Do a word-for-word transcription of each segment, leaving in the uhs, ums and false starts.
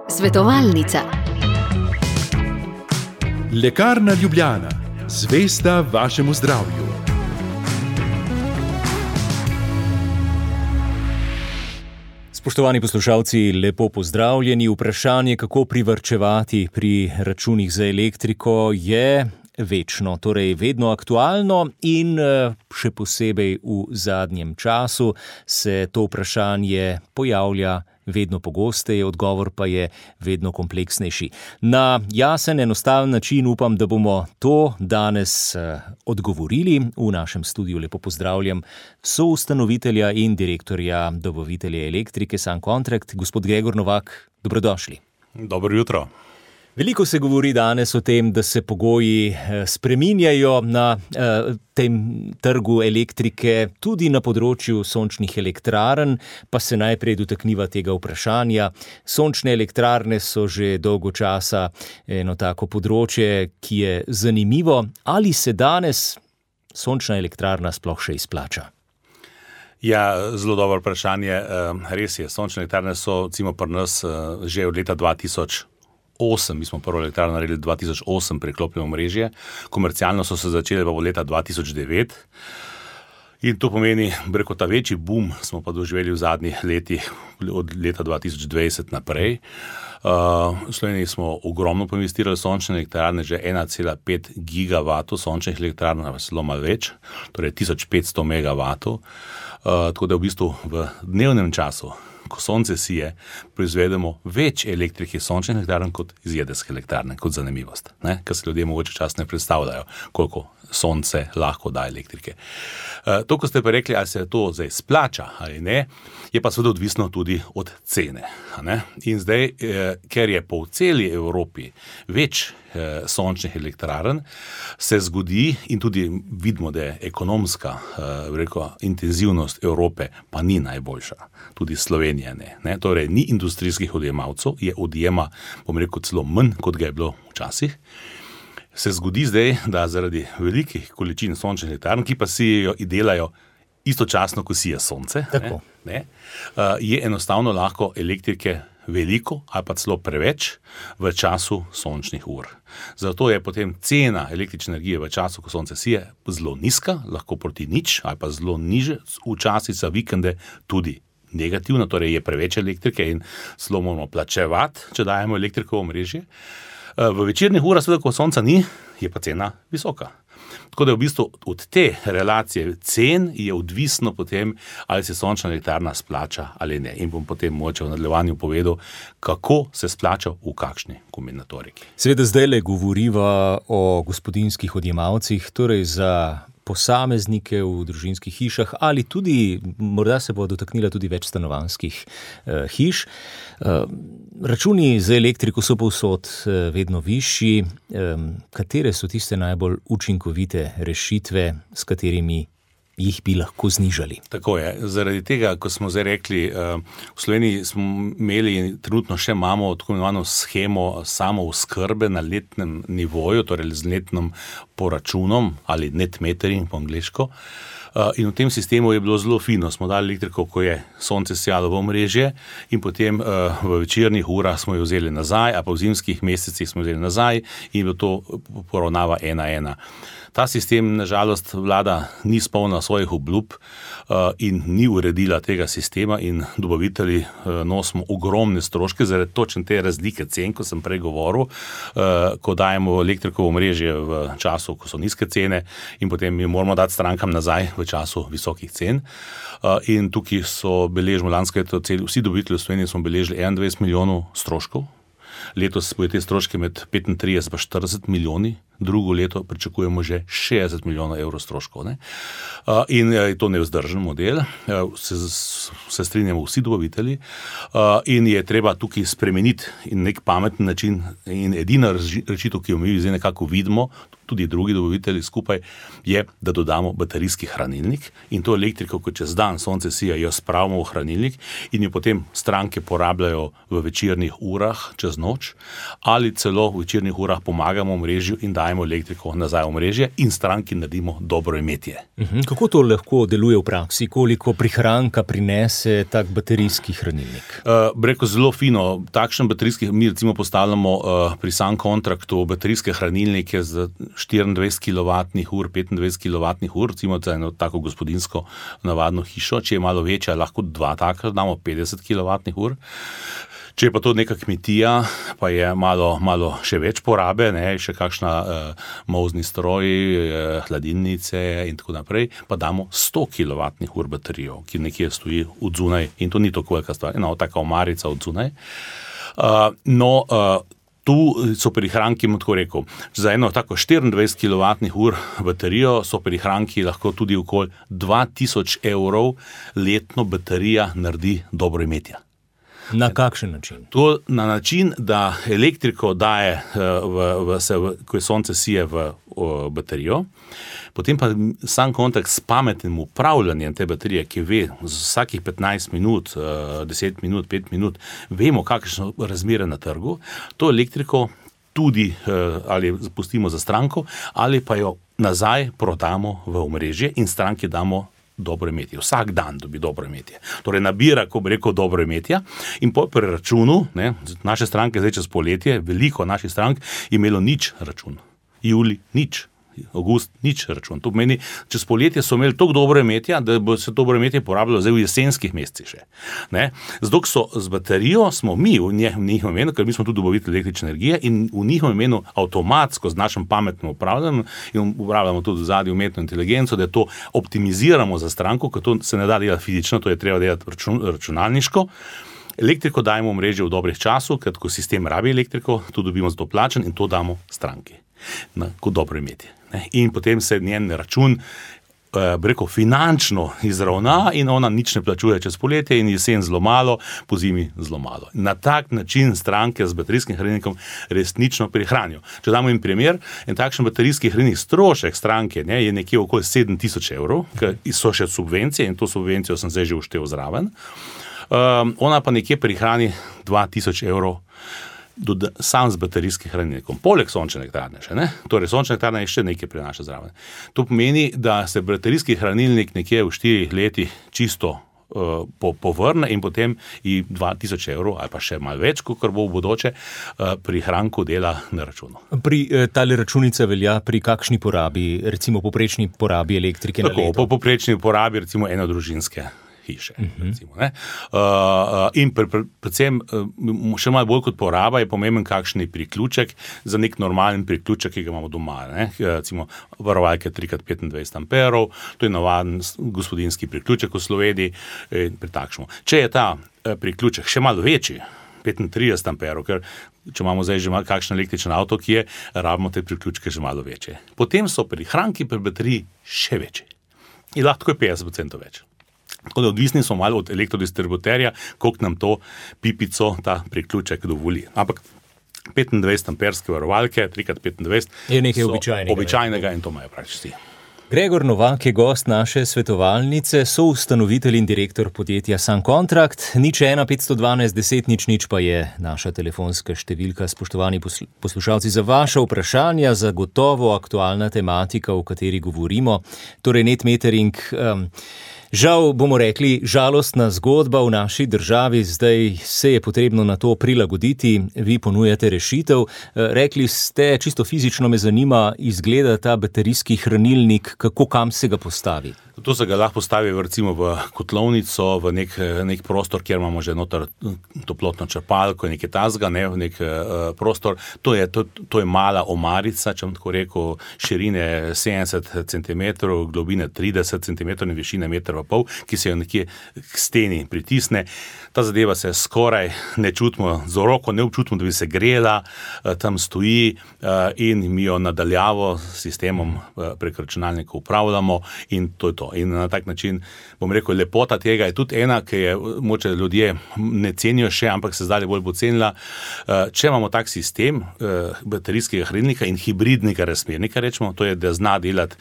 Svetovalnica. Lekarna Ljubljana, zvesta vašemu zdravju. Spoštovani poslušalci, lepo pozdravljeni. Vprašanje, kako privarčevati pri računih za elektriko, je večno, torej vedno aktualno in še posebej v zadnjem času se to vprašanje pojavlja vedno pogosteje, odgovor pa je vedno kompleksnejši. Na jasen, enostaven način upam, da bomo to danes odgovorili. V našem studiu lepo pozdravljam soustanovitelja in direktorja dobavitelja elektrike Sun Contract, gospod Gregor Novak. Dobrodošli. Dobro jutro. Veliko se govori danes o tem, da se pogoji spreminjajo na tem trgu elektrike, tudi na področju sončnih elektrarn, pa se najprej dotakniva tega vprašanja. Sončne elektrarne so že dolgo časa eno tako področje, ki je zanimivo. Ali se danes sončna elektrarna sploh še izplača? Ja, zelo dobro vprašanje. Res je, sončne elektrarne so, recimo pri nas, že od leta dva tisoč osem, mi smo prvo elektrarno naredili dva tisoč osem, preklopljeno omrežje, komercialno so se začele pa v leta dva tisoč devet in to pomeni, breko, ta večji boom smo pa doživeli v zadnjih letih, od leta dva tisoč dvajset naprej. Uh, v Sloveniji smo ogromno investirali sončne elektrarne, že ena cela pet gigavatov sončnih elektrarn, zelo malo več, torej tisoč petsto megavatov, uh, tako da v bistvu v dnevnem času, ko sonce sije, proizvedemo več elektrike sončnih elektrarn kot iz jedrske elektrarne, kot zanimivost, ne? Ker se ljudje mogoče čas ne predstavljajo, koliko sonce lahko da elektrike. E, to, ko ste pa rekli, ali se to zdaj splača ali ne, je pa seveda odvisno tudi od cene. Ne? In zdaj, e, ker je po celi Evropi več e, sončnih elektrarn, se zgodi in tudi vidimo, da je ekonomska e, reko, intenzivnost Evrope pa ni najboljša, tudi Slovenija ne. ne? Torej, ni industrijskih odjemalcev, je odjema, bom rekel, celo manj, kot ga je bilo včasih. Se zgodi zdaj, da zaradi velikih količin sončnih elektrarn, ki pa sijejo in delajo istočasno, ko sije sonce, ne, ne, je enostavno lahko elektrike veliko ali pa celo preveč v času sončnih ur. Zato je potem cena električne energije v času, ko sonce sije, zelo nizka, lahko proti nič ali pa zelo niže, včasih za vikende tudi negativno, torej je preveč elektrike in zelo moramo plačevati, če dajemo elektriko v omrežje. V večernih urah, seveda, ko sonca ni, je pa cena visoka. Tako da je v bistvu od te relacije cen je odvisno potem, ali se sončna elektrarna splača ali ne. In bom potem mogoče v nadaljevanju povedal, kako se splača v kakšni kombinatoriki. Seveda zdajle govoriva o gospodinjskih odjemalcih, torej za posameznike v družinskih hišah ali tudi, morda se bo dotaknila tudi več stanovanjskih eh, hiš. Eh, računi za elektriko so povsod eh, vedno višji. Eh, katere so tiste najbolj učinkovite rešitve, s katerimi jih bi lahko znižali? Tako je. Zaradi tega, ko smo zdaj rekli, v Sloveniji smo imeli in trenutno še imamo tako imenovano shemo samooskrbe na letnem nivoju, torej z letnim poračunom ali net metering po angleško. In v tem sistemu je bilo zelo fino. Smo dali elektriko, ko je sonce sijalo v omrežje in potem v večernih urah smo jo vzeli nazaj, a pa v zimskih mesecih smo vzeli nazaj in bilo to poravnava ena ena. Ta sistem, nažalost, vlada ni spolnila svojih obljub uh, in ni uredila tega sistema in dobavitelji uh, nosimo ogromne stroške zaradi točno te razlike cen, ko sem prej govoril, uh, ko dajemo elektriko v omrežje v času, ko so nizke cene in potem mi moramo dati strankam nazaj v času visokih cen. Uh, in tukaj so beležili lansko leto, vsi dobavitelji v Sloveniji smo beležili enaindvajset milijonov stroškov. Letos bojo te stroške med petintrideset pa štirideset milijoni, drugo leto pričakujemo že šestdeset milijonov evrov stroškov. Ne? Uh, in je to nevzdržen model, uh, se, se strinjamo vsi dobavitelji uh, in je treba tukaj spremeniti in nek pameten način in edina rešitev, ki jo mi zdaj nekako vidimo, tudi drugi dobavitelji skupaj, je, da dodamo baterijski hranilnik in to elektriko, ko čez dan sonce sija, jo spravimo v hranilnik in jo potem stranke porabljajo v večernih urah čez noč ali celo v večernih urah pomagamo omrežju in dajemo elektriko nazaj v omrežje in stranki naredimo dobro imetje. Uhum. Kako to lahko deluje v praksi? Koliko prihranka prinese tak baterijski hranilnik? Uh, Breko zelo fino, takšen baterijski, mi recimo postavljamo uh, pri Sun Contractu baterijske hranilnike z štiriindvajset kilovatnih ur, petindvajset kilovatnih ur, recimo za eno tako gospodinsko navadno hišo, če je malo večja, lahko dva taka, damo petdeset kilovatnih ur. Če je pa to neka kmetija, pa je malo, malo še več porabe, ne, še kakšna uh, molzni stroj, uh, hladilnice in tako naprej, pa damo sto kilovatnih ur baterijo, ki nekje stoji od zunaj in to ni tako velika stvar, ena taka omarica od zunaj. Uh, no, uh, Tu so prihranki, tako rekel, za eno tako štiriindvajset kilovatnih ur baterijo so prihranki lahko tudi okoli dva tisoč evrov letno baterija naredi dobro imetje. Na kakšen način? To na način, da elektriko daje, v, v, se, v, ko je sonce sije v, v baterijo, potem pa Sun Contract s pametnim upravljanjem te baterije, ki ve z vsakih petnajst minut, deset minut, pet minut, vemo, kakšne so razmere na trgu, to elektriko tudi ali pustimo za stranko, ali pa jo nazaj prodamo v omrežje in stranki damo dobro imetje. Vsak dan dobi dobro imetje. Torej nabira, ko bi rekel, dobro imetje in po preračunu, ne, naše stranke zdaj čez poletje, veliko naših strank je imelo nič račun. Juli nič. August nič račun. To pomeni, čez poletje so imeli toliko dobro imetje, da bo se dobro imetje porabljalo zdaj v jesenskih mesecih še. Ne? Zato so z baterijo smo mi v njihovem imenu, ker mi smo tudi dobavitelji električne energije in v njihovem imenu avtomatsko z našim pametnim upravljanjem in upravljamo tudi zadnji umetno inteligenco, da to optimiziramo za stranko, ker to se ne da delati fizično, to je treba delati račun, računalniško. Elektriko dajemo v mreže v dobrih času, ker ko sistem rabi elektriko, to dobimo za to plačen in to damo stranki. Na, kot dobro imetje. In potem se njen račun eh, rekel, finančno izravna in ona nič ne plačuje čez poletje in jesen zelo malo, po zimi zelo malo. Na tak način stranke z baterijskim hranilnikom resnično prihranijo. Če damo jim primer, en takšen baterijski hranilnik strošek stranke ne, je nekje okoli sedem tisoč evrov, ker so še subvencije in to subvencijo sem zdaj že uštel zraven. Um, ona pa nekje prihrani dva tisoč evrov Do, sam z baterijskim hranilnikom, poleg sončne elektrarne še, ne? Torej sončna elektrarna je še nekaj prinaša zraven. To pomeni, da se baterijski hranilnik nekje v štirih letih čisto uh, po, povrne in potem i dva tisoč evrov ali pa še malo več, kot bo v bodoče, uh, prihranku dela na računu. Pri eh, tale računica velja pri kakšni porabi, recimo poprečni porabi elektrike Tako, na leto? Po poprečni porabi recimo enodružinske hiše. Uh-huh. Recimo, ne? uh, in pre, pre, predvsem uh, še malo bolj kot poraba je pomemben kakšni priključek za nek normalen priključek, ki ga imamo doma. Ne? Recimo varovalke tri krat petindvajset amperov, to je navaden gospodinski priključek v Sloveniji. Pri takšnem. Če je ta uh, priključek še malo večji, petintrideset amperov, ker če imamo zdaj že kakšen električen avto, ki je, rabimo te priključke že malo večje. Potem so prihranki pri bateriji še večji. In lahko je petdeset procentov več. Tako da odvisni smo malo od elektrodistributerja, koliko nam to pipico, ta priključek dovoli. Ampak petindvajset amperske varovalke, tri krat petindvajset je nekaj običajnega. Običajnega in to imajo praktično. Gregor Novak je gost naše svetovalnice, soustanovitelj in direktor podjetja Sun Contract. Nič ena petsto dvanajst deset nič nič pa je naša telefonska številka. Spoštovani poslušalci, za vaše vprašanja, za gotovo aktualna tematika, o kateri govorimo, torej net metering. Um, Žal, bomo rekli, žalostna zgodba v naši državi, zdaj se je potrebno na to prilagoditi, vi ponujate rešitev. Rekli ste, čisto fizično me zanima, izgleda ta baterijski hranilnik, kako kam se ga postavi? To se ga lahko postavi recimo v kotlovnico, v nek, nek prostor, kjer imamo že noter toplotno črpalko, nekaj tazga, ne, v nek uh, prostor. To je, to, to je mala omarica, če bom tako rekel, širine sedemdeset centimetrov, globine trideset centimetrov in višine meter pa pa pol, ki se jo nekje k steni pritisne. Ta zadeva se skoraj ne čutimo, z roko ne občutimo, da bi se grela, tam stoji in mi jo nadaljavo s sistemom prek računalnika upravljamo in to je to. In na tak način, bom rekel, lepota tega je tudi ena, ki je moče ljudje ne cenijo še, ampak se zdaj bolj pocenila. Če imamo tak sistem baterijskega hranilnika in hibridnega razmernika, rečemo, to je, da zna delati.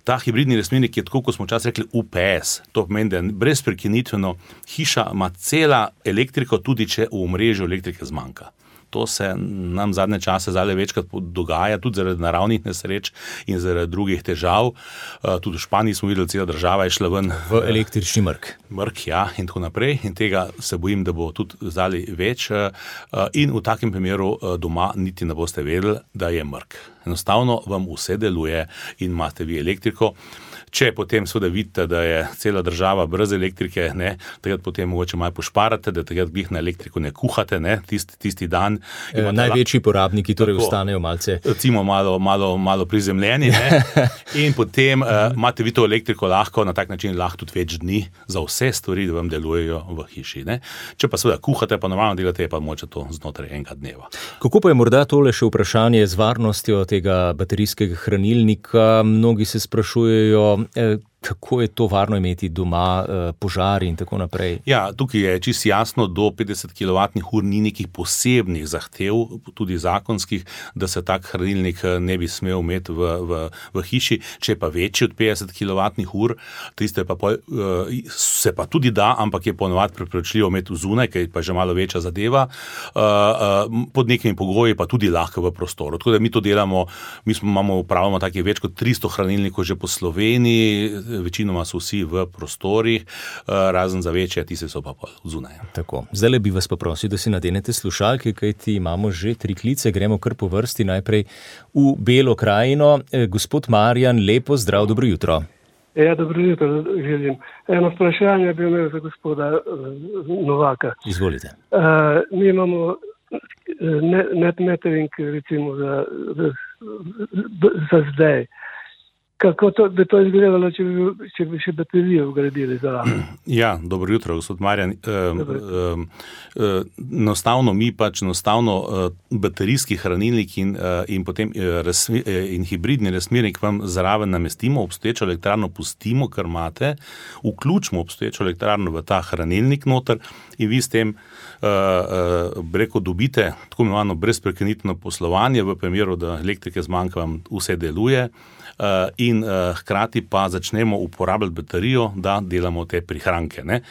Ta hibridni razmernik je tako, kot smo včasih rekli, U P S. To pomeni, da brez prekinitveno hiša ima cela elektriko, tudi če v omrežju elektrike zmanjka. To se nam zadnje čase zdaj večkrat dogaja, tudi zaradi naravnih nesreč in zaradi drugih težav. Tudi v Španiji smo videli, cela država je šla ven. V električni mrk. Mrk, ja, in tako naprej. In tega se bojim, da bo tudi zdaj več. In v takem primeru doma niti ne boste vedeli, da je mrk. Enostavno vam vse deluje in imate vi elektriko. Če potem seveda vidite, da je cela država brez elektrike, ne, takrat potem mogoče malo pošparate, da takrat glih na elektriko ne kuhate, ne, tisti, tisti dan. E, največji porabniki torej tako, ostanejo malce. Recimo malo, malo, malo prizemljeni, ne, in potem uh, imate vi to elektriko lahko, na tak način lahko tudi več dni za vse stvari, da vam delujejo v hiši. Ne. Če pa seveda kuhate, pa normalno delate, pa moče to znotraj enega dneva. Kako pa je morda tole še vprašanje z varnostjo tega baterijskega hranilnika? Mnogi se sprašujejo, kako je to varno imeti doma, požari in tako naprej? Ja, tukaj je čisto jasno, do petdeset kilovatnih ur ni nekih posebnih zahtev, tudi zakonskih, da se tak hranilnik ne bi smel imeti v, v, v hiši. Če je pa večji od petdeset kilovatnih ur, tiste pa pol, se pa tudi da, ampak je ponovadi priporočljivo imeti zunaj, ker je pa že malo večja zadeva, pod nekimi pogoji pa tudi lahko v prostoru. Tako da mi to delamo, mi smo, imamo, upravljamo takih več kot tristo hranilnikov že po Sloveniji, večinoma so vsi v prostorih, razen za večje, tiste so pa zunaj. Tako, zdaj bi vas pa prosil, da si nadenete slušalke, kajti imamo že tri klice, gremo kar po vrsti, najprej v Belo krajino. Gospod Marjan, lepo zdrav, dobro jutro. Ja, dobro jutro, želim. Eno vprašanje bi imel za gospoda Novaka. Izvolite. Uh, mi imamo net metering, recimo, za, za, za zdaj. Kako to, bi to izgledalo, če bi, če bi še baterijo vgradili zraven? Ja, dobro jutro, gospod Marjan. Enostavno mi pač enostavno baterijski hranilnik in, in potem in hibridni razmernik vam zraven namestimo, obstoječo elektrarno pustimo, kar imate, vključimo obstoječo elektrarno v ta hranilnik noter in vi s tem breko dobite tako imenovano brezprekinitveno poslovanje, v primeru, da elektrike zmanjka, vam vse deluje. In uh, hkrati pa začnemo uporabljati baterijo, da delamo te prihranke. Ne?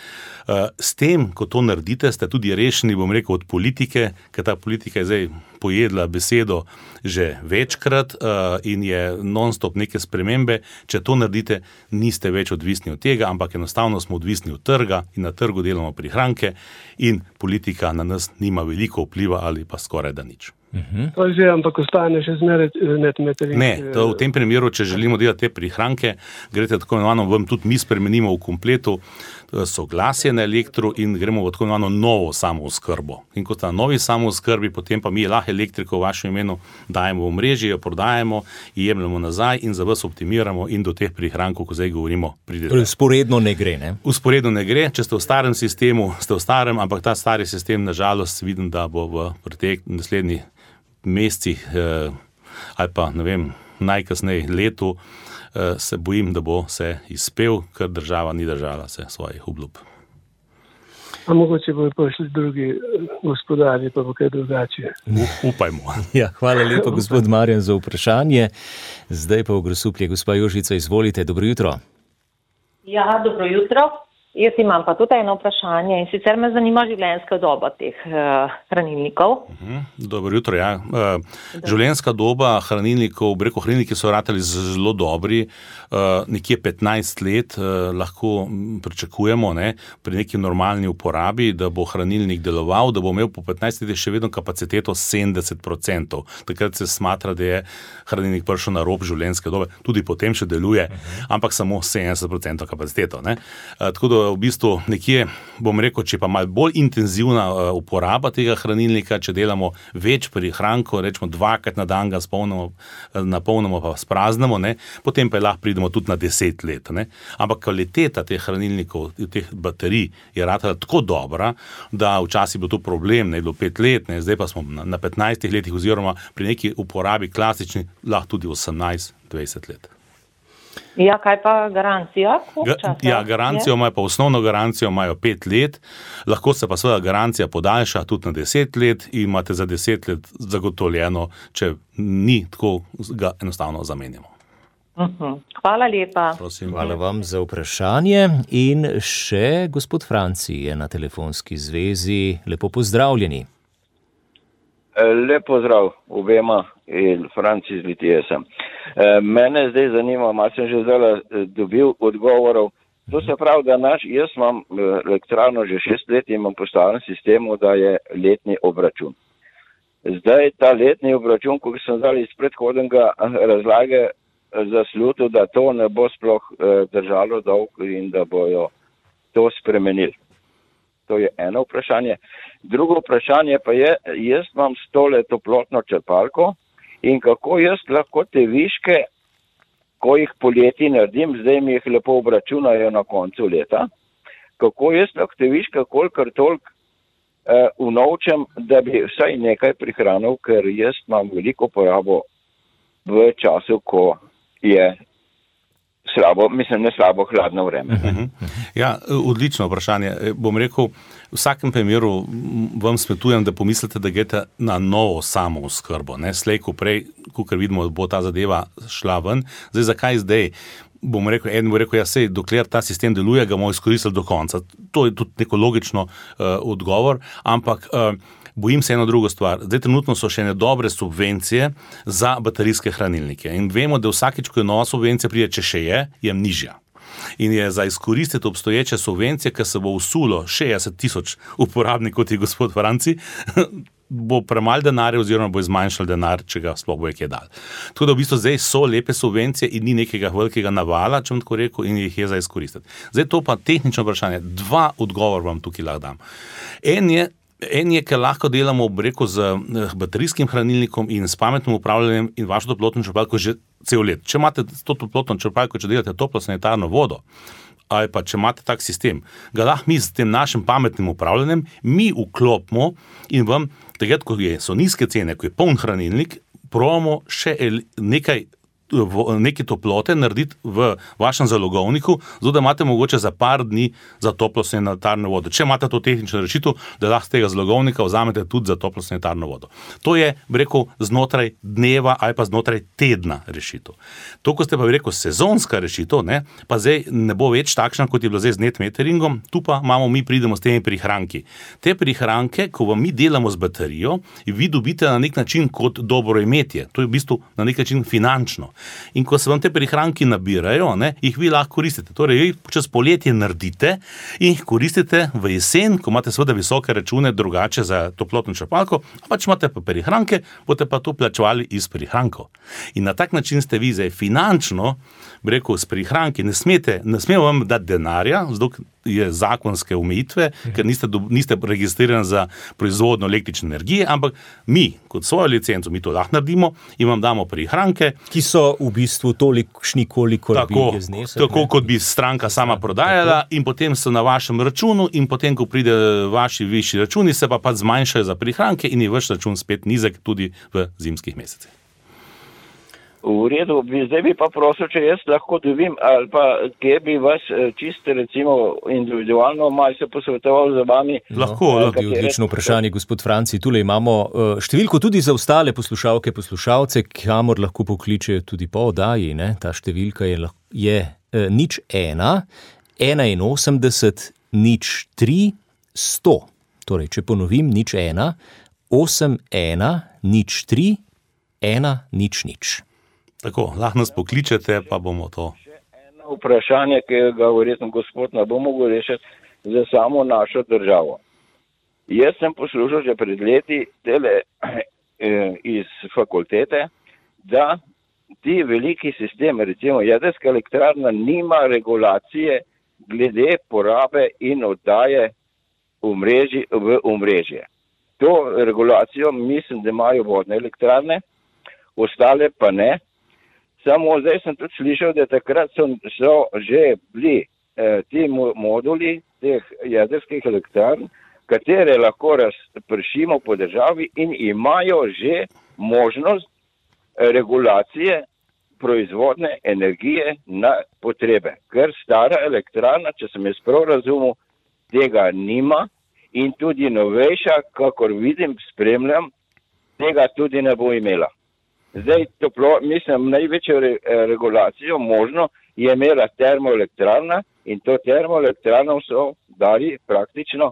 Uh, s tem, ko to naredite, ste tudi rešeni, bom rekel, od politike, ker ta politika je zdaj pojedla besedo že večkrat uh, in je non-stop neke spremembe. Če to naredite, niste več odvisni od tega, ampak enostavno smo odvisni od trga in na trgu delamo prihranke in politika na nas nima veliko vpliva ali pa skoraj da nič. Uh-huh. To že, ampak ostane še zmeraj net metering. Ne, to v tem primeru, če želimo delati te prihranke, greste tako imenovano, vam tudi mi spremenimo v kompletu soglasje na elektro in gremo v tako imenovano novo samooskrbo. In kot na novi samooskrbi, potem pa mi lahko elektriko v vašem imenu dajemo v mreži, jo prodajemo, jemljemo nazaj in za vas optimiramo in do teh prihrankov, ko zdaj govorimo, pridete. Usporedno ne gre, ne? Usporedno ne gre, če ste v starem sistemu, ste v starem, ampak ta stari sistem, nažalost, vidim, da bo v pretek naslednji mesecih eh, ali pa, ne vem, najkasneje letu, eh, se bojim, da bo se izpel, ker država ni držala se svojih obljub. A mogoče bojo prišli drugi gospodarji, pa bo kaj drugače. Upajmo. Ja, hvala lepo, gospod Marjan, za vprašanje. Zdaj pa v Grosuplje, gospa Jožica, izvolite, dobro jutro. Ja, dobro jutro. Jaz imam pa tudi eno vprašanje in sicer me zanima življenjska doba teh uh, hranilnikov. Uh-huh. Dobro jutro, ja. Uh, življenjska doba hranilnikov, breko hranilniki so ratali zelo dobri, uh, nekje petnajst let uh, lahko pričakujemo, ne, pri neki normalni uporabi, da bo hranilnik deloval, da bo imel po petnajstih letih še vedno kapaciteto sedemdeset procentov. Takrat se smatra, da je hranilnik prišel na rob življenjske dobe, tudi potem še deluje, uh-huh. ampak samo sedemdeset procentov kapaciteto. Ne. Uh, tako da v bistvu nekje, bom rekel, če pa malo bolj intenzivna uporaba tega hranilnika, če delamo več prihrankov, rečemo dvakrat na dan ga spolnimo, napolnimo pa spraznemo, ne, potem pa lahko pridemo tudi na deset let. Ne. Ampak kvaliteta teh hranilnikov, teh baterij je ratala tako dobra, da včasih je bil to problem, ne, je bilo pet let, ne, zdaj pa smo na, na petnajstih letih oziroma pri neki uporabi klasični lahko tudi osemnajst dvajset let. Ja, kaj pa garancija? Ga, ja, garancijo imajo pa osnovno garancijo imajo pet let, lahko se pa seveda garancija podaljša tudi na deset let in imate za deset let zagotovljeno, če ni tako, ga enostavno zamenjamo. Uh-huh. Hvala lepa. Prosim. Hvala vam za vprašanje in še gospod Franci je na telefonski zvezi. Lepo pozdravljeni. Lep pozdrav obema in Franci iz Litije sem. Mene zdaj zanima, malo sem že zdaj dobil odgovorov. To se pravi, da naš, jaz imam elektrarno že šest let in imam postavljen sistemu, da je letni obračun. Zdaj ta letni obračun, ko sem zdaj iz predhodnega razlage zaslutil, da to ne bo sploh držalo dolg in da bojo to spremenili. To je eno vprašanje. Drugo vprašanje pa je, jaz imam stole toplotno črpalko in kako jaz lahko te viške, ko jih poleti naredim, zdaj mi jih lepo obračunajo na koncu leta, kako jaz lahko te viške kolikor toliko eh, unovčem, da bi vsaj nekaj prihranil, ker jaz imam veliko porabo v času, ko je slabo, mislim, ne slabo, hladno vreme. Ja, odlično vprašanje. Bom rekel, v vsakem primeru vam svetujem, da pomislite, da greste na novo samo oskrbo. Ne, slej, ko prej, kakor vidimo, bo ta zadeva šla ven. Zdaj, zakaj zdaj? Bom rekel, eden bo rekel, ja, sej, dokler ta sistem deluje, ga bomo izkoristili do konca. To je tudi neko logično uh, odgovor, ampak uh, bojim se eno drugo stvar. Zdaj trenutno so še ene dobre subvencije za baterijske hranilnike in vemo, da vsakič, ko je nova subvencija pride, če še je, je nižja. In je za izkoristiti obstoječe subvencije, ker se bo usulo šestdeset tisoč uporabnikov, kot je gospod Franci, bo premalo denarja oziroma bo zmanjšal denar, če ga sploh bo je kje dal. Tako da v bistvu zdaj so lepe subvencije in ni nekega velikega navala, če bom tako rekel, in jih je za izkoristiti. Zdaj to pa tehnično vprašanje. Dva odgovor vam tukaj lahko dam. En je, En je, ker lahko delamo breko z baterijskim hranilnikom in s pametnim upravljanjem in vašo toplotno črpalko že cel let. Če imate to toplotno črpalko, če delate toplo sanitarno vodo, ali pa če imate tak sistem, ga lahko mi s tem našim pametnim upravljanjem mi vklopimo in vam, takrat, ko so nizke cene, ko je poln hranilnik, probamo še nekaj neke toplote narediti v vašem zalogovniku, zato da imate mogoče za par dni za toplo sanitarno vodo. Če imate to tehnično rešitev, da lahko z tega zalogovnika vzamete tudi za toplo sanitarno vodo. To je, bi rekel, znotraj dneva ali pa znotraj tedna rešitev. To, ko ste pa, bi rekel, sezonska rešitev, ne, pa zdaj ne bo več takšna, kot je bilo zdaj z net meteringom, tu pa imamo, mi pridemo s temi prihranki. Te prihranke, ko vam mi delamo z baterijo, vi dobite na nek način kot dobro imetje. To je v bistvu na nek način finančno. In ko se vam te prihranki nabirajo, ne, jih vi lahko koristite. Torej, jih čez poletje naredite in jih koristite v jesen, ko imate seveda visoke račune drugače za toplotno črpalko, pa če imate pa prihranke, boste pa to plačevali iz prihrankov. In na tak način ste vi zdaj finančno, bi rekel, s prihranki, ne smete, ne smemo vam dati denarja, zato je zakonske omejitve, ker niste, niste registrirani za proizvodnjo električne energije, ampak mi, kot svojo licenco, mi to lahko naredimo in vam damo prihranke, ki so v bistvu tolikšni, koliko tako, bi je znesek. Tako, kot bi stranka sama prodajala in potem so na vašem računu in potem, ko pride vaši višji računi, se pa pa zmanjšajo za prihranke in je vaš račun spet nizek tudi v zimskih mesecih. V redu, zdaj bi pa prosil, če jaz lahko dobim, ali pa kje bi vas čisto recimo individualno malo se posvetoval z vami. Lahko, lahko. Odlično vprašanje, gospod Franci. Tule imamo številko tudi za ostale poslušalke, poslušalce, kamor lahko pokličejo tudi po oddaji. Ne? Ta številka je, je nič ena, enainosemdeset, nič tri, sto. Torej, če ponovim, nič ena, osem ena, nič tri, ena, nič nič. Tako, lahko nas pokličete, pa bomo to. Še eno vprašanje, ki ga verjetno gospod ne bo mogel rešiti za samo našo državo. Jaz sem poslušal že pred leti tele eh, iz fakultete, da ti veliki sistemi, recimo jedrska elektrarna, nima regulacije, glede porabe in oddaje omrežji, v omrežje. To regulacijo mislim, da imajo vodne elektrarne, ostale pa ne. Samo zdaj sem tudi slišal, da takrat so, so že bili eh, ti moduli teh jedrskih elektrarn, katere lahko razpršimo po državi in imajo že možnost regulacije proizvodne energije na potrebe. Ker stara elektrarna, če sem jaz prav razumel, tega nima in tudi novejša, kakor vidim, spremljam, tega tudi ne bo imela. Zdaj, toplo, mislim, največjo re, regulacijo možno je imela termoelektrarna in to termoelektrarno so dali praktično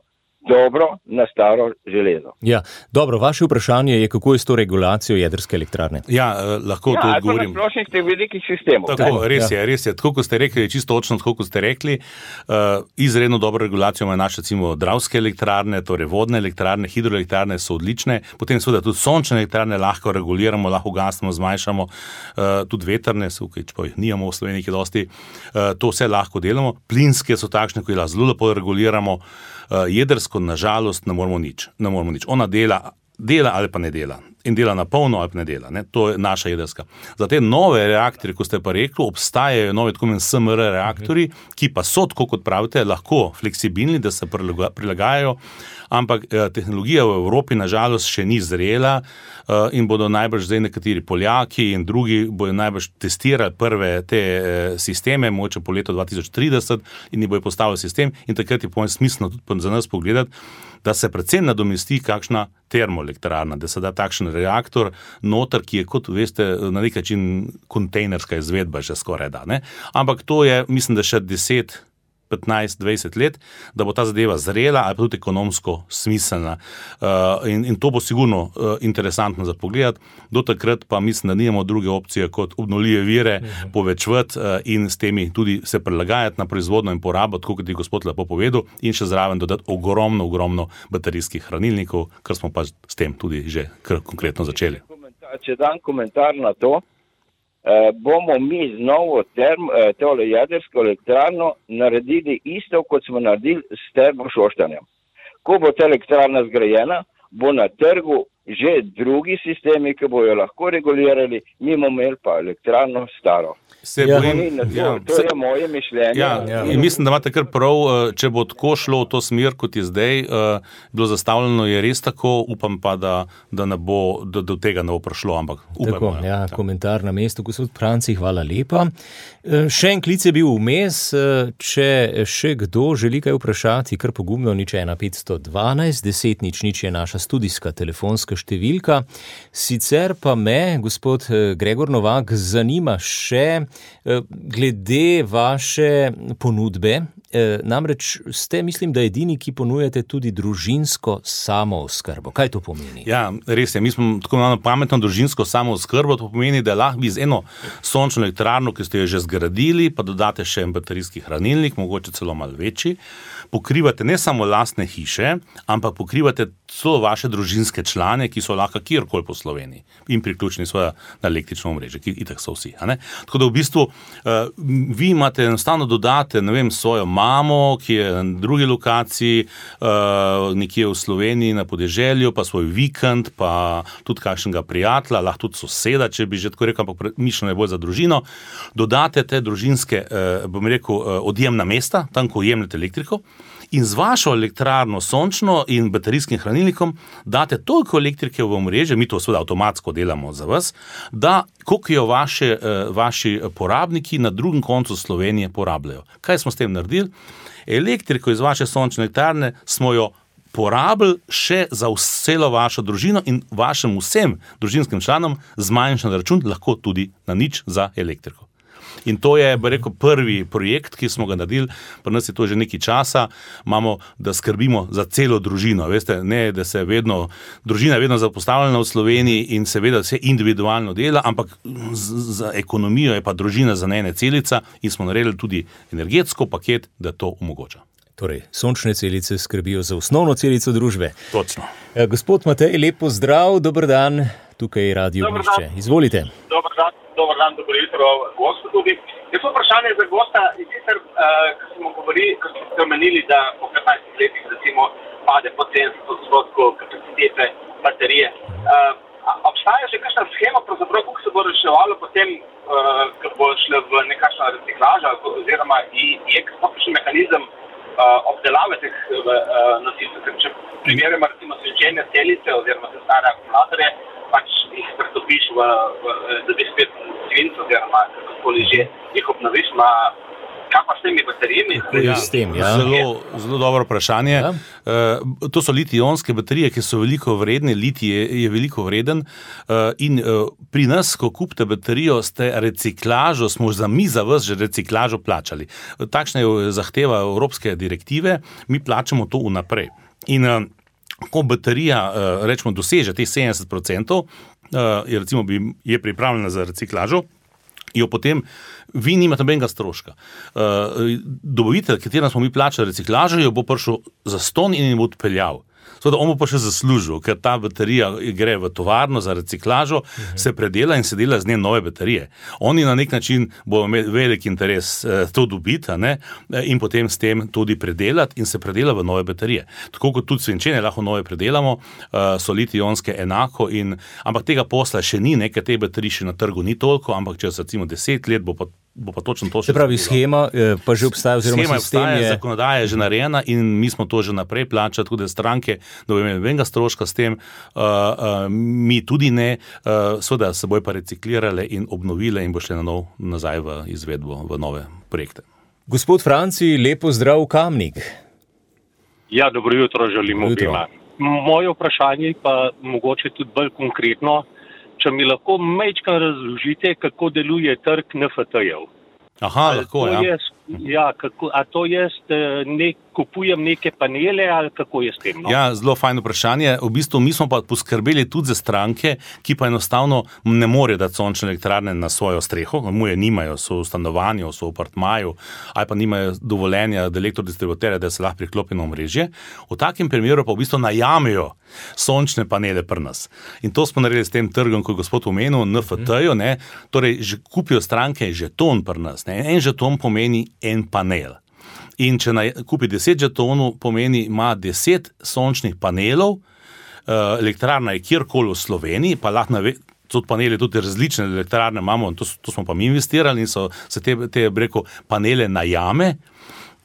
dobro na staro železo. Ja, dobro, vaše vprašanje je, kako je s to regulacijo jedrske elektrarne? Ja, eh, lahko Ja, to ali pa odgovorim. na splošnih teh velikih sistemov. Tako, res ja. je, res je. Tako kot ste rekli, čisto točno, tako kot ste rekli, uh, izredno dobro regulacijo imajo naše, recimo, dravske elektrarne, torej vodne elektrarne, hidroelektrarne so odlične, potem seveda tudi sončne elektrarne lahko reguliramo, lahko gasimo, zmanjšamo, uh, tudi vetrne, tukaj, če pa jih nijamo v Sloveniji, ki dosti, uh, to vse lahko delamo, plinske so takšne, ko jih lahko zelo lepo reguliramo, uh, jedrsko, nažalost, ne moramo nič, ne moramo nič. Ona dela, dela ali pa ne dela. In dela na polno ali pa ne dela. Ne? To je naša jedrska. Za te nove reaktorje, ko ste pa rekli, obstajajo nove tako imenovani S M R reaktorji, ki pa so, tako kot pravite, lahko fleksibilni, da se prilaga- prilagajajo, ampak eh, tehnologija v Evropi nažalost še ni zrela eh, in bodo najbrž zdaj nekateri Poljaki in drugi bodo najbrž testirali prve te eh, sisteme, mogoče po letu dva tisoč trideset in jih bojo postavili sistem in takrat je po mojem smiselno tudi za nas pogledati, da se predvsem nadomesti kakšna termoelektrarna, da se da takšen reaktor noter, ki je, kot veste, na nek način kontejnerska izvedba že skoraj da. Ne? Ampak to je, mislim, da še deset, petnajst, dvajset let, da bo ta zadeva zrela ali pa tudi ekonomsko smiselna. Uh, in, in to bo sigurno uh, interesantno za pogledati. Do takrat pa mislim, da nimamo druge opcije kot obnovljive vire uh-huh. povečevati uh, in s temi tudi se prilagajati na proizvodno in porabo, tako kot je gospod lepo povedal, in še zraven dodati ogromno, ogromno baterijskih hranilnikov, kar smo pa s tem tudi že kar konkretno začeli. Če dam komentar na to, eh, bomo mi z novo term, eh, tole jedrsko elektrarno naredili isto, kot smo naredili s termo Šoštanjem. Ko bo ta elektrarna zgrajena, bo na trgu že drugi sistemi, ki bojo lahko regulirali, mi bomo imeli pa elektrarno staro. Se Ja. bojim, To, ja, to se- je moje mišljenje. Ja, ja. In mislim, da imate kar prav, eh, če bo tako šlo v to smer, kot je zdaj eh, bilo zastavljeno, je res tako, upam pa, da, da, ne bo, da do tega ne bo prišlo, ampak upam. Tako, ja, komentar na mestu, gospod Franci, hvala lepa. E, Še en klic je bil vmes, e, če še kdo želi kaj vprašati, kar pogumno, nič ena petsto dvanajst, deset nič nič je naša studijska telefonska številka. Sicer pa me, gospod e, Gregor Novak, zanima še e, glede vaše ponudbe. E, namreč ste, mislim, da edini, ki ponujate tudi družinsko samooskrbo. Kaj to pomeni? Ja, res je. Mi smo tako imenovano pametno družinsko samooskrbo. To pomeni, da lahko bi z eno sončno elektrarno, ki ste jo že zgradili, pa dodate še en baterijski hranilnik, mogoče celo malo večji, pokrivate ne samo lastne hiše, ampak pokrivate celo vaše družinske člane, ki so lahko kjerkoli po Sloveniji in priključeni svoja na električno omrežje, ki itak so vsi. A ne? Tako da v bistvu uh, vi imate enostavno dodate, ne vem, svojo mamo, ki je na drugi lokaciji, uh, nekje v Sloveniji na podeželju, pa svoj vikend, pa tudi kakšnega prijatelja, lahko tudi soseda, če bi že tako rekel, ampak mišljeno je bolj za družino. Dodate te družinske, uh, bom rekel, uh, odjemna mesta, tam, ko jemljete elektriko, in z vašo elektrarno sončno in baterijskim hranilnikom date toliko elektrike v omrežje, mi to seveda avtomatsko delamo za vas, da koliko jo vaše, vaši porabniki na drugem koncu Slovenije porabljajo. Kaj smo s tem naredili? Elektriko iz vaše sončne elektrarne smo jo porabili še za celo vašo družino in vašim vsem družinskim članom zmanjšan račun, lahko tudi na nič za elektriko. In to je, bi rekel, prvi projekt, ki smo ga naredili, pri nas je to že nekaj časa, imamo, da skrbimo za celo družino, veste, ne, da se vedno, družina je vedno zapostavljena v Sloveniji in seveda vse individualno dela, ampak za ekonomijo je pa družina za ene celica in smo naredili tudi energetsko paket, da to omogoča. Torej, sončne celice skrbijo za osnovno celico družbe. Točno. E, Gospod Matej, lep pozdrav, dober dan, tukaj je Radio Dober Ognjišče. dan. Izvolite. Dobar dan, dobar dan, dobro jutro, gostu tudi. Jaz sem vprašanje za gosta, in sicer, uh, ko smo govorili, ko ste omenili, da po petnajstih letih recimo pade po sedemdeset odstotkov kapacitete baterije. Uh, obstaja že kakšna schema, pravzaprav, kako se bo reševalo potem, uh, ko bo šlo v nekakšno reциklažo, oziroma je kakšen mehanizem uh, obdelave teh uh, nosilcev, če primerjamo recimo svinčene celice oziroma te stare akumulatorje, pač jih pretopiš v, v dobi spet svinc oziroma kakoli že jih obnoviš, ma kaj pa s temi baterijami? Ja, s tem, ja. Zelo, zelo dobro vprašanje. Ja. Uh, to so litij-ionske baterije, ki so veliko vredne, litij je, je veliko vreden uh, in uh, pri nas, ko kupite baterijo, ste reciklažo, smo za mi za vas že reciklažo plačali. Takšna je zahteva evropske direktive, mi plačamo to vnaprej. In uh, ko baterija, uh, rečemo, doseže teh sedemdeset procentov, uh, je recimo bi, je pripravljena za reciklažo, jo potem vi nimate nobenega stroška. Uh, dobavitelj, katerem smo mi plačali reciklažo, jo bo prišel za ston in jo bo odpeljal. Seveda, on bo pa še zaslužil, ker ta baterija gre v tovarno za reciklažo, uh-huh. se predela in se dela z nje nove baterije. Oni na nek način bo imeli velik interes eh, to dobiti, ne, in potem s tem tudi predelati in se predela v nove baterije. Tako kot tudi svinčene lahko nove predelamo, uh, so litij-ionske enako, in, ampak tega posla še ni, nekaj te baterije še na trgu ni toliko, ampak čez recimo deset let bo pa bo pa točno to še. Se pravi, schema pa že obstaja, oziroma schema sistem obstaja, je... zakonodaja je že narejena in mi smo to že naprej plačali, tudi stranke, da bo imeli nobenega stroška s tem, uh, uh, mi tudi ne, uh, seveda se bojo pa reciklirale in obnovile in bo šle na nov nazaj v izvedbo, v nove projekte. Gospod Franci, lepo zdrav Kamnik. Ja, dobro jutro želim obima. Moje vprašanje pa mogoče tudi bolj konkretno, če mi lahko majčkeno razložite, kako deluje trg N F T-jev. Aha, lahko, ja. Jaz, ja kako, a to jaz ne, kupujem neke panele ali kako je s tem? No? Ja, zelo fajno vprašanje. V bistvu mi smo pa poskrbeli tudi za stranke, ki pa enostavno ne morejo dati sončne elektrarne na svojo streho, mu je nimajo, so v stanovanju, so v apartmaju, ali pa nimajo dovoljenja od elektrodistributerja, da se lahko priklopi na omrežje. V takem primeru pa v bistvu najamejo sončne panele pri nas. In to smo naredili s tem trgom, ko je gospod omenil, N F T-jo, ne, torej že kupijo stranke žeton pri nas. Ne. En žeton pomeni en panel. In če naj, kupi deset žetonov, pomeni, ima deset sončnih panelov, uh, elektrarna je kjerkoli v Sloveniji, pa lahko nave, tudi panele, tudi različne elektrarne imamo, to, to smo pa mi investirali in so se te, te breko, panele najame,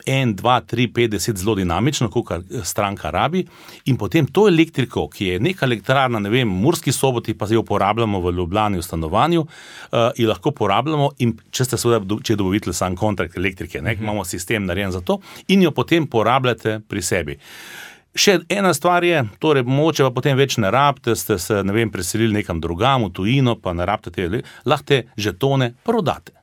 en, dva, tri, pet, deset zelo dinamično, kolikor stranka rabi, in potem to elektriko, ki je neka elektrarna, ne vem, v Murski Soboti, pa jo uporabljamo v Ljubljani v stanovanju, uh, in lahko uporabljamo, in če ste seveda, če je dobavitelj sam kontrakt elektrike, ne, mm-hmm. imamo sistem narejen za to, in jo potem porabljate pri sebi. Še ena stvar je, torej moče pa potem več ne rabite, ste se, ne vem, preselili nekam drugam, v tujino, pa ne rabite te, lahko te žetone prodate.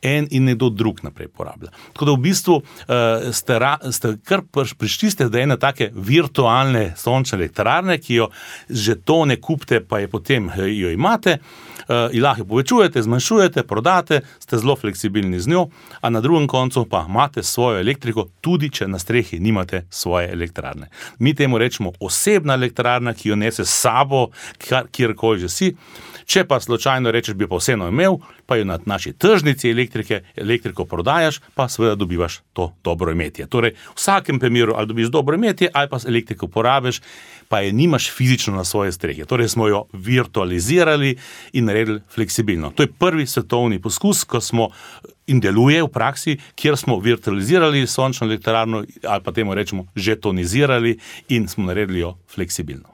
En in nekdo drug naprej porablja. Tako da v bistvu uh, ste, ra, ste kar prišli ste do ene take virtualne sončne elektrarne, ki jo žetone kupite, pa je potem jo imate, uh, in lahko jo povečujete, zmanjšujete, prodate, ste zelo fleksibilni z njo, a na drugem koncu pa imate svojo elektriko, tudi če na strehi nimate svoje elektrarne. Mi temu rečemo osebna elektrarna, ki jo nese s sabo, kjerkoli že si. Če pa slučajno rečeš, bi pa vseeno imel, pa jo na naši tržnici elektrike, elektriko prodajaš, pa seveda dobivaš to dobro imetje. Torej, v vsakem primeru ali dobiš dobro imetje, ali pa elektriko porabiš, pa je nimaš fizično na svoje strehe. Torej, smo jo virtualizirali in naredili fleksibilno. To je prvi svetovni poskus, ko smo in deluje v praksi, kjer smo virtualizirali sončno elektrarno, ali pa temu rečemo žetonizirali in smo naredili jo fleksibilno.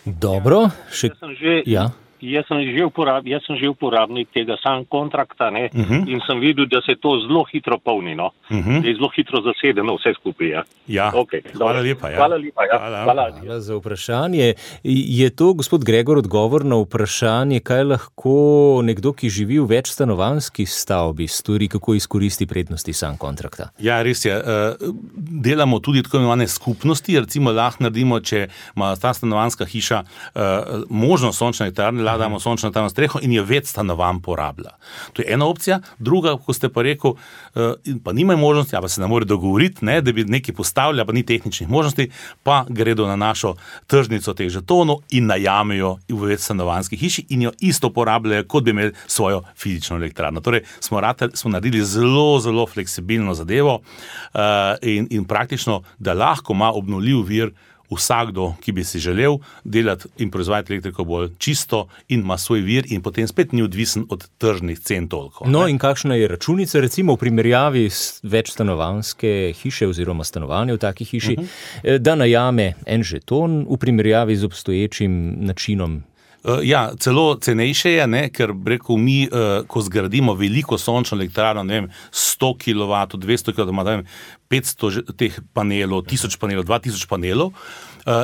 Dobro, še... Jaz sem že, ja. jaz sem že, uporab, jaz sem že uporabnik tega sam kontrakta, ne, uh-huh. in sem videl, da se to zelo hitro polni, no. Uh-huh. Da je zelo hitro zasedeno vse skupaj, ja. Ja, okay, hvala lepa. Ja. Hvala lepa, ja. Hvala. Hvala. Hvala za vprašanje. Je to, gospod Gregor, odgovor na vprašanje, kaj lahko nekdo, ki živi v več stanovanjski stavbi, stori, kako izkoristi prednosti sam kontrakta? Ja, res je. Delamo tudi tako imenovane skupnosti, recimo lahko naredimo, če ima ta stanovanjska hiša možnost sončne elektrarne, lahko damo sončno elektrarno na streho in je več stanovanj porablja. To je ena opcija. Druga, ko ste pa rekel, pa nimajo možnosti, pa se ne more dogovoriti, ne, da bi nekaj postavili, pa ni tehničnih možnosti, pa gredo na našo tržnico teh žetonov in najamejo v več stanovanjski hiši in jo isto porabljajo, kot bi imeli svojo fizično elektrarno. Torej, smo, ratelj, smo naredili zelo, zelo fleksibilno zadevo uh, in, in praktično, da lahko ima obnovljiv vir vsakdo, ki bi si želel delati in proizvajati elektriko bolj čisto in ima svoj vir in potem spet ni odvisen od tržnih cen toliko. No ne? In kakšna je računica recimo v primerjavi s večstanovanjske hiše oziroma stanovanja v taki hiši, uh-huh. da najame en žeton v primerjavi z obstoječim načinom? Ja, celo cenejše je, ne, ker rekel mi, ko zgradimo veliko sončno elektrarno, ne vem, sto kilovatov, dvesto kilovatov, ne vem, petsto teh panelov, tisoč panelov, dva tisoč panelov,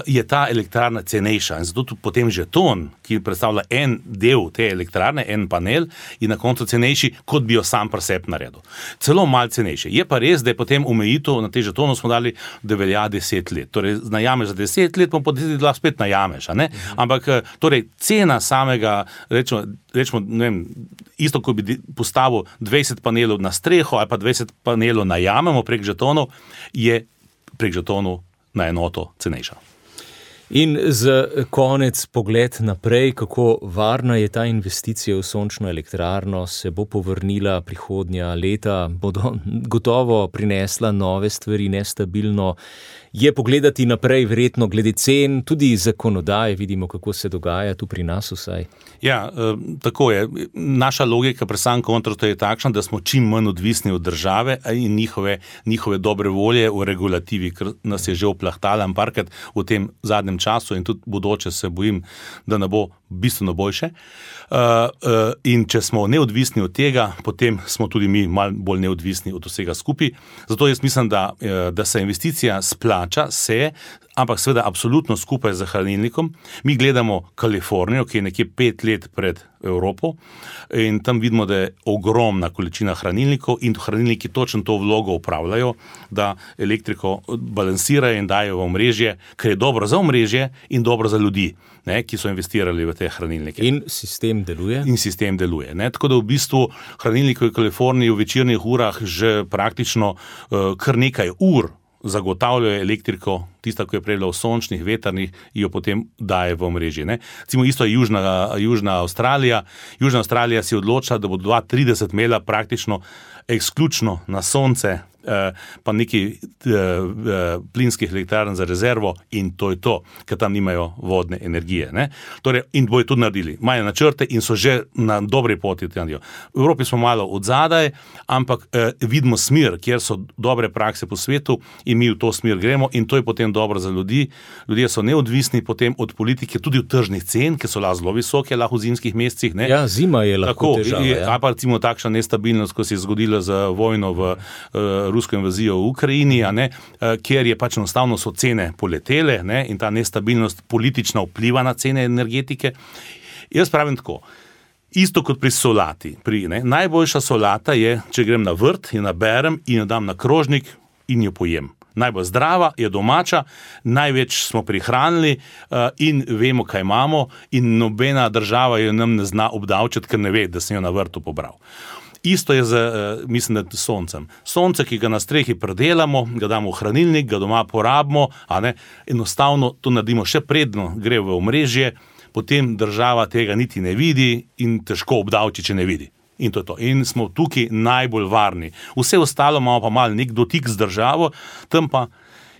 je ta elektrarna cenejša. In zato tudi potem žeton, ki predstavlja en del te elektrarne, en panel, je na koncu cenejši, kot bi jo sam pri sebi naredil. Celo malo cenejši. Je pa res, da je potem omejitev na te žetonu smo dali, da velja deset let. Torej, najameš za deset let, pa po deset let spet najameš, a ne? Ampak, torej, cena samega, rečemo, rečemo, ne vem, isto, ko bi postavil dvajset panelov na streho ali pa dvajset panelov najamemo prek žetonov, je prek žetonov na enoto cenejša. In za konec pogled naprej, kako varna je ta investicija v sončno elektrarno, se bo povrnila prihodnja leta, bodo gotovo prinesla nove stvari, nestabilno. Je pogledati naprej verjetno glede cen, tudi zakonodaje, vidimo, kako se dogaja tu pri nas vsaj. Ja, tako je. Naša logika pri Sun Contractu je takšna, da smo čim manj odvisni od države in njihove, njihove dobre volje v regulativi, ker nas je že oplahtala parkrat v tem zadnjem času in tudi bodoče se bojim, da ne bo bistveno boljše. Uh, uh, in če smo neodvisni od tega, potem smo tudi mi malo bolj neodvisni od vsega skupaj. Zato jaz mislim, da, da se investicija splača, se, ampak seveda absolutno skupaj z hranilnikom. Mi gledamo Kalifornijo, ki je nekje pet let pred Evropo in tam vidimo, da je ogromna količina hranilnikov in hranilniki točno to vlogo upravljajo, da elektriko balansirajo in dajo v omrežje, kar je dobro za omrežje in dobro za ljudi, ne, ki so investirali v te hranilnike. In sistem deluje? In sistem deluje. Ne. Tako da v bistvu hranilniki v Kaliforniji v večernih urah že praktično uh, kar nekaj ur zagotavljajo elektriko, tista, ki je prej bila v sončnih, vetrnih, jo potem daje v omrežje. Ne. Cimo isto je Južna, Južna Avstralija. Južna Avstralija si odločila, da bo dva tisoč trideset imela praktično eksključno na sonce, pa neki plinskih elektrarn za rezervo in to je to, ker tam nimajo vodne energije. Ne? Torej, in bojo tudi naredili. Imajo načrte in so že na dobri poti. V Evropi smo malo odzadaj, ampak eh, vidimo smer, kjer so dobre prakse po svetu in mi v to smer gremo in to je potem dobro za ljudi. Ljudje so neodvisni potem od politike, tudi od tržnih cen, ki so lahko zelo visoke, lahko v zimskih mesecih. Ne? Ja, zima je lahko Tako, težava. Ja. A pa recimo takšna nestabilnost, ko se je zgodila za vojno v uh, rusko invazijo v Ukrajini, a ne, uh, kjer je pač enostavno so cene poletele, ne, in ta nestabilnost politična vpliva na cene energetike. Jaz pravim tako, isto kot pri solati. Pri, ne, najboljša solata je, če grem na vrt, jo naberem in jo dam na krožnik in jo pojem. Najbolj zdrava, je domača, največ smo prihranili uh, in vemo, kaj imamo in nobena država jo nam ne zna obdavčiti, ker ne ve, da sem jo na vrtu pobral. Isto je z, uh, mislim, da soncem. Sonce, ki ga na strehi predelamo, ga damo v hranilnik, ga doma porabimo, a ne, enostavno to naredimo še predno, gre v omrežje, potem država tega niti ne vidi in težko obdavči, če ne vidi. In to je to. In smo tukaj najbolj varni. Vse ostalo imamo pa malo nek dotik z državo, tam pa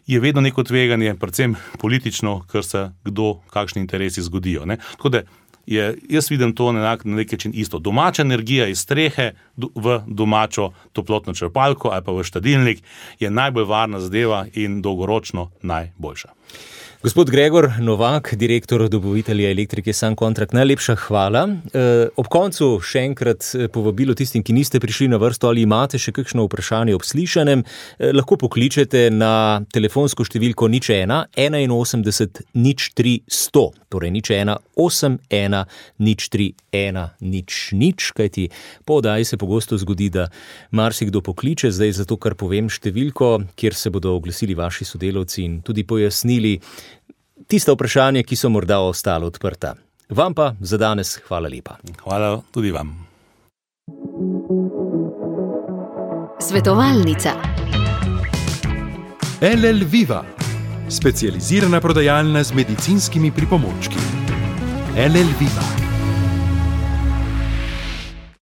je vedno neko tveganje, predvsem politično, ker se kdo, kakšni interesi zgodijo. Ne? Tako da je, jaz vidim to na nek način isto. Domača energija iz strehe v domačo toplotno črpalko ali pa v štedilnik je najbolj varna zadeva in dolgoročno najboljša. Gospod Gregor Novak, direktor dobavitelja elektrike Sun Contract, najlepša hvala. Ob koncu še enkrat povabilo tistim, ki niste prišli na vrsto ali imate še kakšno vprašanje ob slišanem, lahko pokličete na telefonsko številko nič ena enainosemdeset nič tri sto, torej nič ena osem ena nič tri ena nič nič, kajti po oddaji se pogosto zgodi, da marsikdo pokliče, zdaj zato, kar povem številko, kjer se bodo oglasili vaši sodelavci in tudi pojasnili tista vprašanja, ki so morda ostala odprta. Vam pa za danes hvala lepa. Hvala tudi vam. Svetovalnica. L L Viva, specializirana prodajalna z medicinskimi pripomočki. L L Viva.